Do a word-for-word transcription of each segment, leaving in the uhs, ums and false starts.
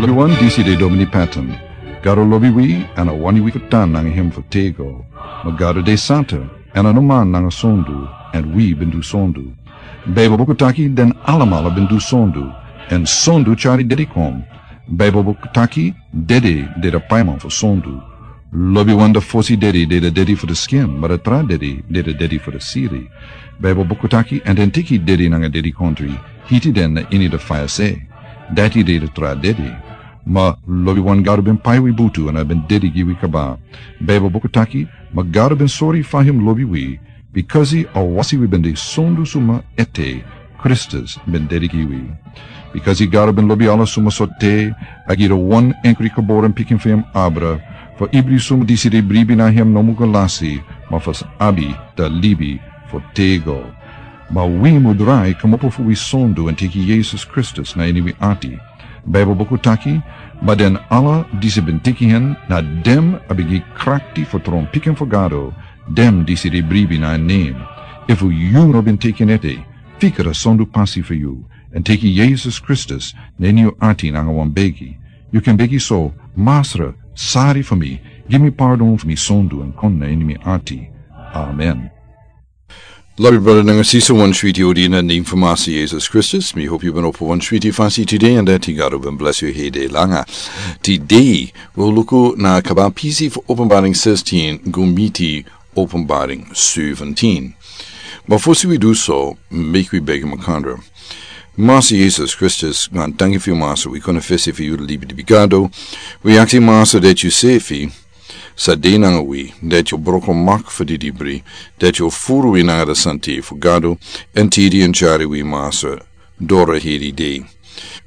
Lobiwan, disi de Domini Patton. Gado lobi wi, èn a wani wi fu tan nanga hem fu tego. Ma Gado de santa, èn a no man nanga sondu, èn wi ben du sondu. Baibel buku taki den alamala ben du sondu, èn sondu tyari dedi kon. Baibel buku taki dedi de de paiman fu sondu. Lobiwan, da fosi dedi de de dedi fu de skin, ma da tra dedi de de dedi fu de siri. Baibel buku taki, èn den teki dedi nanga dedikontri, hiti den na ini de faya se. Dati de de tra dedi. Ma lobiwan, Gado ben pai wi butu èn a ben dedi gi wi kaba. Baibel buku taki, ma Gado ben sori fa hem lobi wi, bikasi a wasi wi ben de sondu suma ete, Kristus ben dedi gi wi. Bikasi Gado ben lobi ala suma so te, a gi de wan enkri geboren pikin fu hem abra, fu ibri suma disi de bribi na hem no mu go lasi, ma fu abi da libi fu tego. Ma wi mu drai komopo fu wi sondu èn teki Yesus Kristus na ini wi ati. Baibel buku taki, ma den ala disi ben teki hen, na dem a ben gi krakti fu tron pikin fu Gado, dem disi de bribi na en nen. Efu yu no ben teki en ete, fika da sondu pasi fu yu, èn teki Yesus Kristus na ini yu ati nanga wan begi. Yu kan begi so: Masra, sari fu mi, gi mi pardon fu mi sondu èn kon na ini mi ati. Amen. Lobi brada nanga sisa, wan switi odi na nen fu Masra Yesus Kristus. Mi hopi yu ben opo wan switi fasi tide, èn dati Gado ben blesi yu hede langa. Tide wi o luku na kaba pisi fu Openbaring sixteen go miti Openbaring seventeen. Ma fosi wi du so, meki wi begi makandra. Masra Yesus Kristus, gan tanki fu yu, Masra, wi konfesi fu yu libi di bigado. Wi aksi, Masra, dati yu sefi sa de nanga wi, dati yu broko mak fu di dibri, dati yu furu wi nanga da santi fu Gado, èn tidi èn tyari wi, Masra, doro heri de.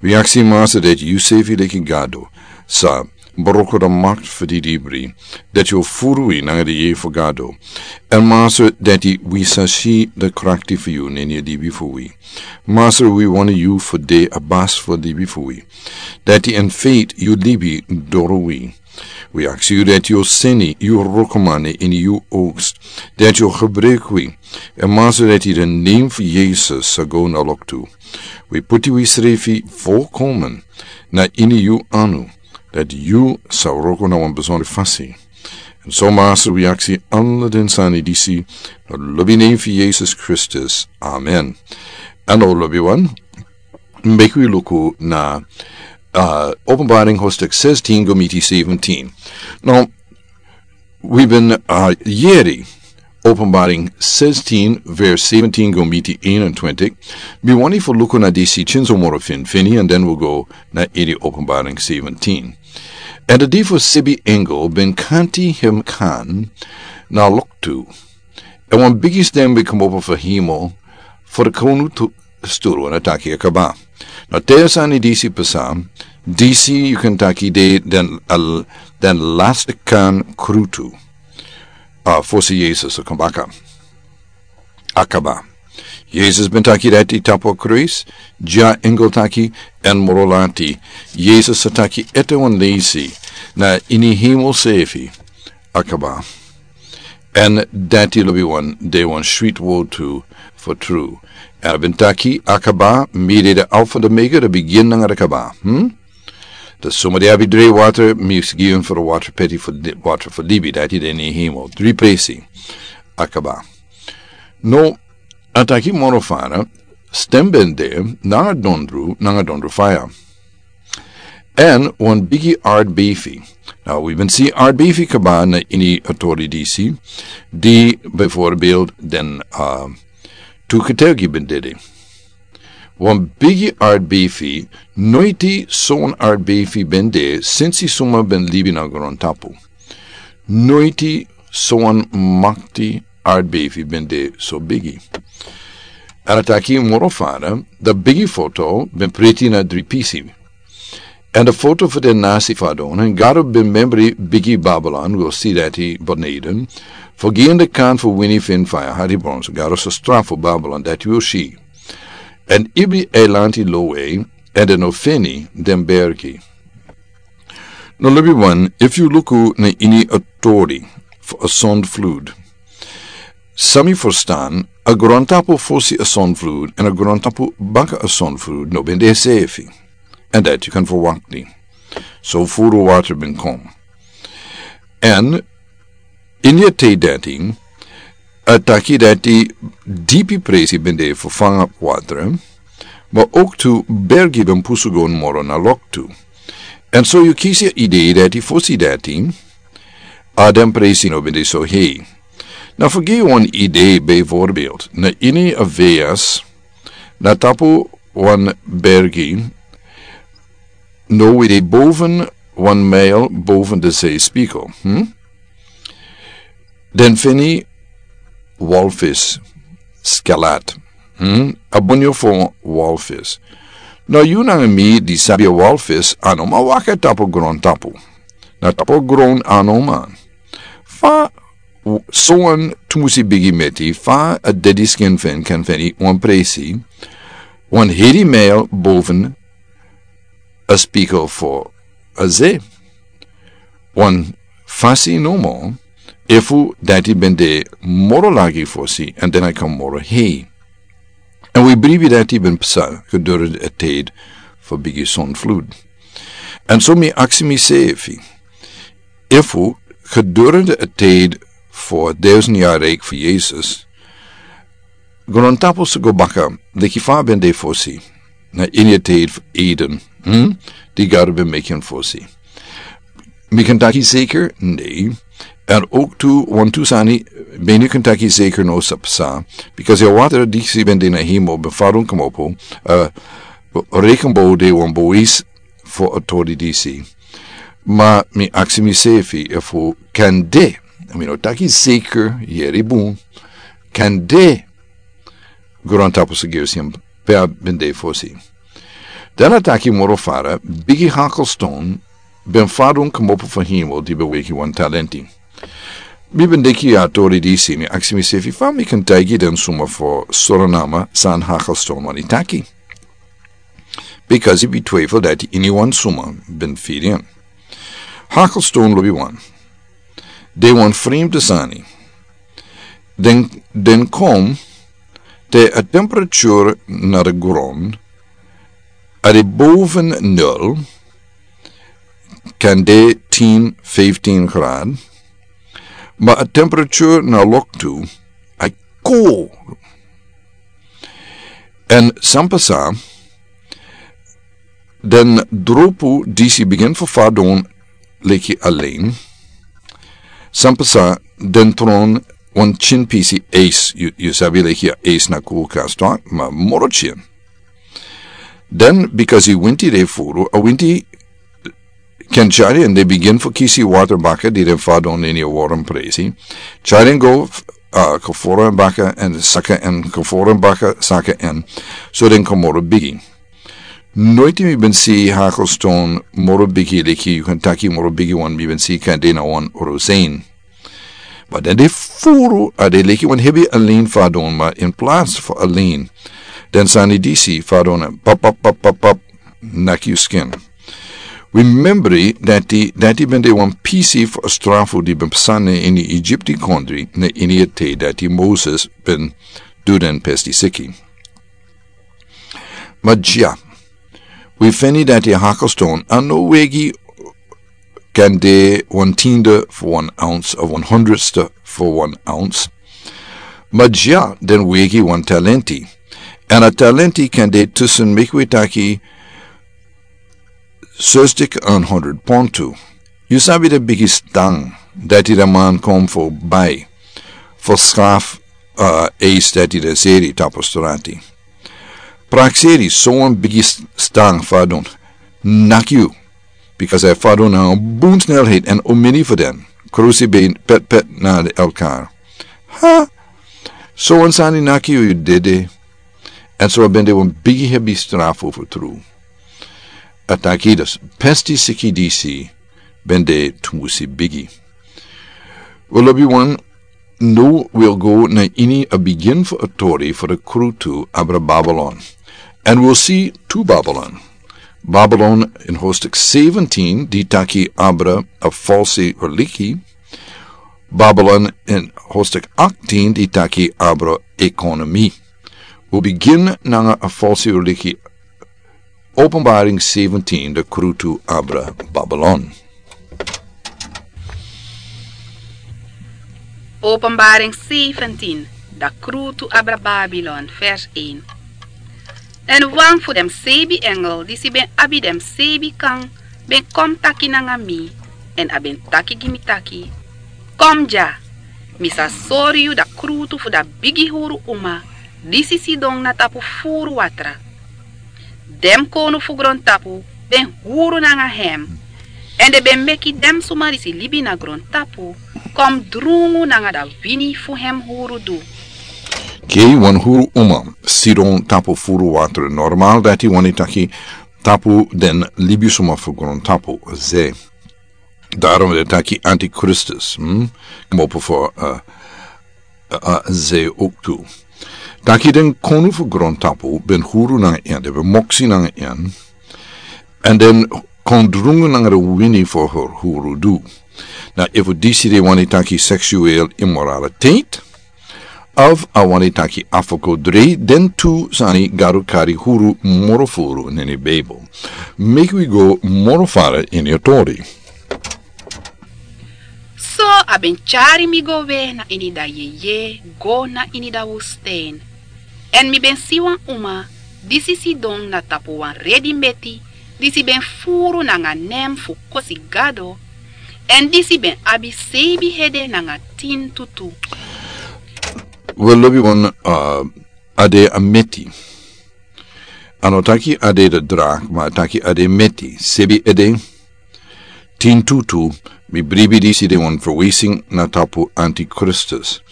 Wi aksi, Masra, dati yu sefi leki Gado sa broko da mak fu di dibri, dati yu furu wi nanga da yeye fu Gado. Èn Masra, dati wi sa si da krakti fu yu na ini a libi fu wi. Masra, wi wani yu fu de a basi fu a libi fu wi. Dati in faith yu libi doro wi. Wi aksi yu dati yu seni yu rokoman na ini yu oaks, dati yu gebruik wi. Èn Masra, dati den nen fu Yesus sa go na loktu. Wi puti wi srefi volkomen na ini yu anu, dati yu sa roko na wan besondre fasi. Èn so, Masra, wi aksi ala den sani disi na lobi nen fu Yesus Kristus. Amen. Èn now, lobiwan, meki wi luku na, uh, Openbaring hoofdstuk sixteen go miti seventeen. Now, wi ben, uh, yeri Openbaring sixteen, vers seventeen go miti eenentwintig. Mi wani fu luku na disi kinso moro finfini, and then we'll go na ini Openbaring seventeen. Èn a dei fu sibi engel ben kanti hem kan na loktu. Èn wan bigi stem ben komopo fu hemel, fu de konu tu sturu, èn a taki: A kaba. Now te a sani disi pasa, disi yu kan taki de den, al, den lasti kan krutu. A fosi Yesus o kon baka. A kaba. Yesus ben taki dati tapu a krusu, dya engel taki, èn moro lati Yesus a taki ete wan leisi na ini hemel sefi: A kaba. Èn dati, lobiwan, de wan switi word tu fu tru. Èn a ben taki: A kaba, mi de de Alfa, de Omega, de bigin nanga de kaba. Hmm? Da suma di abi dre water, mi sa gi un fu de water peti fu di-, water fu libi, dati de ini hemel. Dri presi. A kaba. Now, a taki moro fara, stem ben de, nanga dondru, nanga dondru faya. Èn wan bigi aardbefi. Now, wi ben si aardbefi kaba na ini a tori disi, di bijvoorbeeld den, uh, tu ketelgi ben dede. Wan bigi aardbefi, noiti sowan aardbefi ben de, sensi suma ben libi na grontapu. Noiti sowan makti aardbefi ben de so bigi. Èn a taki moro fara, da bigi foto ben priti na dri pisi. Èn da foto fu den nasi fadon, èn Gado ben membri bigi Babylon, wi o si dati beneden. Fu gi en de kans fu wini fu faya hadi brons, Gado sa strafu Babylon, dati wi o si. Èn ibri eilanti lowe, èn den o feni den bergi. Now, lobiwan, efu yu luku na ini a tori fu a zondvloed, san mi ferstan, a grontapu fosi a zondvloed, èn a grontapu baka a zondvloed no ben de sefi. Èn dati yu kan ferwakti. So furu water bin kom. En ini a te dati, a taki dati dipi presi bin de fu fanga water, ma oktu bergi bin pusu go moro na loktu. En so yu kisi a idee dati fosi dati, a den presi no bin de so hei. Na fu gi wan idee bijvoorbeeld, na ini a veas, na tapu wan bergi, no wi de boven wan mijl boven de zeespiegel. Hm? Den fini walvis skelet. Hm? A bunyo fu walvis. No yu nanga mi di sabi a walvis a no man waka tapu gron tapu. Na tapu gron a no man. Fa sowan tumusi bigi meti fa a dedi skin fen kan feni wan presi wan hedi mijl boven a spiegel fu a ze. Wan fasi nomo efu dati ben de moro lagi fosi en den a kan moro hei. En wi bribi dati ben psa gedurende a tijd fu bigi zonvloed. En so mi aksi mi sefi, efu gedurende a tijd fu duizend jaar rijk fu Jesus, grontapu su go baka leki fa ben de fosi na ini a tijd fu Eden, hm? Di Gado ben meki en fosi. Mi kan taki zeker? Nee. En ook tu wan tu sani ben yu kan taki zeker no sa psa. Because a water disi ben de na hemel ben fadon komopo, uh, rekenbo de wan bois fu a tori disi. Ma mi aksi mi sefi efu kan de, mi no taki zeker, yeri bun, kan de grontapu su gersi en pe a ben de fosi. Dan a taki moro fara, bigi hakelston ben fadon komopo fu hemel di ben weki wan talenti. Mi ben deki a tori disi mi aksi mi sefi fa mi kan taigi den suma fu Suriname san hakelston wani taki. Because i bi twijfel dati ini wan suma ben firi en. Hakelston lobi wan. De wan vreemde sani. Den, den kom te a temperatuur na de grond a de boven nul kan de tien, vijftien graad. Maar a temperatuur na loktu a cool. En san pasa, den dropu disi begin fu fadon leki alleen. San pasa, den tron wan chin pisi eis, yu, yu sabi leki a eis na koelkast, toch? Ma moro chin. Den, because i winti de furu, a winti ken tyari en de begin fu kisi water baka di den fadon ini a warm presi. Tyari en go, uh, kaforo en baka en saka en kaforo en baka saka en. So den kan moro bigi. Noiti mi ben si hakelston moro bigi leki yu kan taki moro bigi wan mi ben si kan de na wan rozein. Ma den de furu a de leki wan hebi alleen fadon ma in plaats fu alleen. Den sani disi fadon en pap pap pap pap pap. Naki yu skin. Wi membri dati dati ben de wan pisi fu a strafu di ben psa na ini Egypti kondri na ini a te dati Moses ben du den pesti siki. Ma dya, wi feni dati a hakelston a no wegi kan de wan tiende fu wan ounce of wan hundredste fu wan ounce. Ma dya den wegi wan talenti. En a talenti kan de tusen meki wi taki zestig en honderd pond tu. Yu sabi den bigi stang dati den man kon fu bai fu skaf, uh, eis dati den seri tapu strati. Prakseri so wan bigi s-, stang fadon naki yu. Because a fadon na wan bun snelheid en omini fu den krusi ben pet pet na de elkaar. Ha? So wan sani naki yu yu dede. En so a ben de wan bigi hebi strafu fu tru. A taki dus pesti siki disi ben de tumusi bigi. Wel lobi wan, no wi o go na ini a begin fu a tori fu de krutu abra Babylon. En wi o si tu Babylon. Babylon in hoofdstuk zeventien di taki abra a falsi religi. Babylon in hoofdstuk achttien di taki abra ekonomi. Wi o begin nanga a falsi religi Openbaring zeventien, de krutu abra Babylon. Openbaring zeventien, de krutu abra Babylon, vers een. En wan fu den seibi engel disi ben abi den seibi kan ben kon taki nanga mi, en a ben taki gi mi taki: Kon dya, mi sa sori yu den krutu fu den bigi huru uma disi sidon na tapu furu watra. Den konu fu grontapu ben huru nanga hem, en den ben meki den suma disi libi na grontapu kon drungu nanga den wini fu hem hurudu. Kei, wan huru uma sidon tapu furu watra. Normaal dati wani taki tapu den libisuma fu grontapu, ze. Daarom den taki antichristus, hm? Kmopo fu, eh, eh, eh, ze ook tu. Taki den konu fu grontapu ben huru nanga en, den ben moksi nanga en. En den kon drungu nanga den wini fu huru, hurudu. Na efu disi den wani taki seksueel immoraliteit, of a wani taki afgoderij, den tu sani Gado kari huru moro furu na ini Bijbel. Meki wi go moro fara ini a tori. So a ben tyari mi go we na ini den yeye go na ini den woestijn. En mi ben si wan uma disi sidon na tapu wan redi meti disi ben furu nanga nen fu kosi Gado, en disi ben abi seibi hede nanga tin tutu. We lobi wan, uh, a de a meti. A no taki a de de draak, ma a taki a de meti. Seibi hede, tin tutu, mi bribi disi de wan verwijzing na tapu antichristus.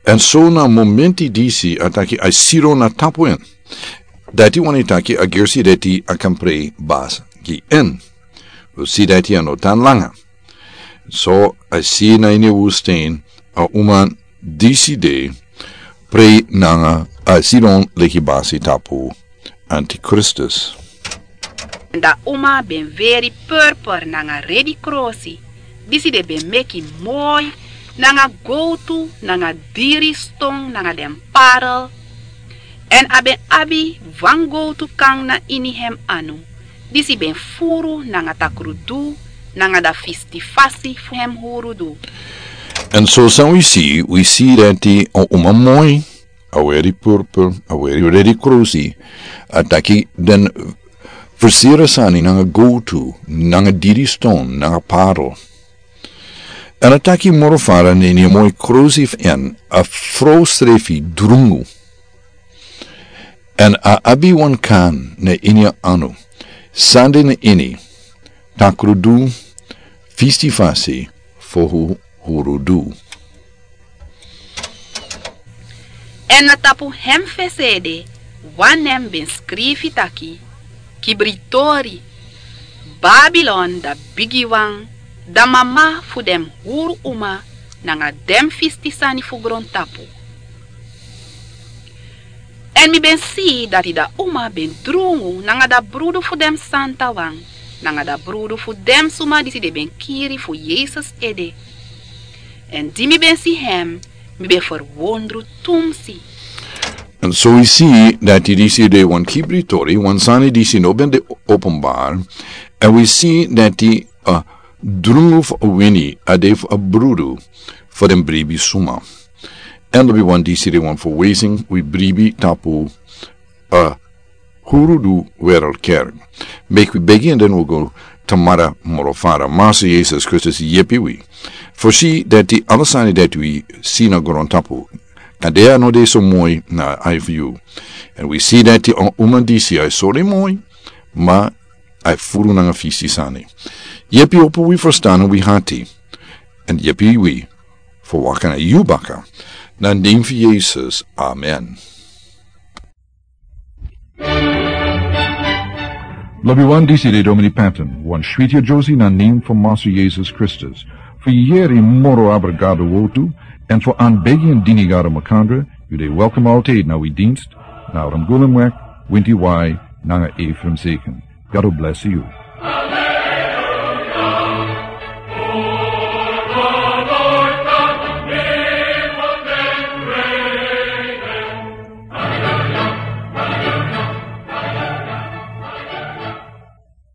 En so na momenti disi a taki a sidon na tapu en. Dati wani taki a gersi dati a kan prei basi gi en. Wi si dati a no tan langa. So a si na ini woestijn a uma disi de prei nanga a sidon leki basi tapu antichristus. En den uma ben weri purper nanga redi krosi, disi den ben meki moi nanga gowtu nanga diri ston nanga den parel. En a ben abi wan gowtu kan na ini hem anu, disi ben furu nanga takrudu nanga den fistifasi fu hem hurudu. En so san wi si, wi si dati a uma moi, a weri purper, a weri redi krosi, a taki den versiri sani nanga gowtu nanga diri ston nanga parel. En a taki moro fara na ini a moi krosi fu en, a frow srefi drungu. En a abi wan kan na ini a anu, sande na ini, takrudu, fistifasi fu hu-, hurudu. En na tapu hem fesi ede wan nen ben skrifi taki: Kibri tori, Babilon den bigiwan, den mama fu den huru uma nanga den fisti sani fu grontapu. En mi ben si dati den uma ben drungu nanga den brudu fu den santawan, nanga den brudu fu den suma disi den ben kiri fu Yesus ede. En di mi ben si hem, mi ben ferwondru tumsi. En so wi si dati disi de wan kibri tori, wan sani disi no ben de openbaar. En wi si dati, eh, drungu fu a wini a de fu a brudu fu den bribi suma. En lobi wan, disi de wan verwijzing, wi bribi tapu, eh, hurudu wereldkerk. Meki wi begi en den wi go tamara moro fara. Master Yesus Kristus yepi wi. Fosi dati ala sani dati wi si na grontapu, kande a no de so moi na a ai fu yu. En wi si dati a uma disi a e sori moi, ma a e furu nanga fisti sani. Yepi opo wi ferstan nanga wi hati. En yepi wi fu waka na yu baka. Na nen fu Yesus. Amen. Lobi wan, disi de Domini Patton, wan switi a Josie na nen fu Master Yesus Kristus. Fu yeri moro abra Gado wowtu, en fu anbegi en dini Gado makandra, yu de welkom altijd na wi dienst, na Ramgulum wek, winti wai, nanga Ephraim Zeken. Gado bless yu.